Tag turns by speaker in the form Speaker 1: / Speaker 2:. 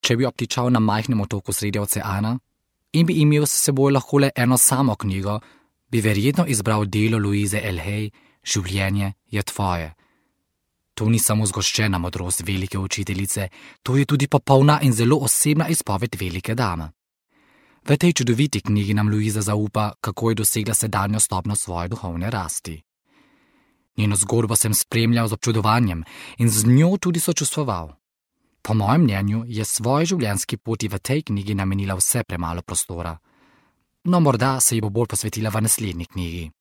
Speaker 1: če bi obtičal na majhnem otoku sredi oceana in bi imel s seboj lahko le eno samo knjigo, bi verjetno izbral delo Louise L. Hay Življenje je tvoje. To ni samo zgoščena modrost velike učiteljice, to je tudi popolna in zelo osebna izpoved velike dame. V tej čudoviti knjigi nam Louisa zaupa, kako je dosegla sedanjo stopnjo svoje duhovne rasti. Njeno zgodbo sem spremljal z občudovanjem in z njo tudi sočustvoval. Po mojem mnenju je svoji življenjski poti v tej knjigi namenila vse premalo prostora. No, morda se ji bo bolj posvetila v naslednji knjigi.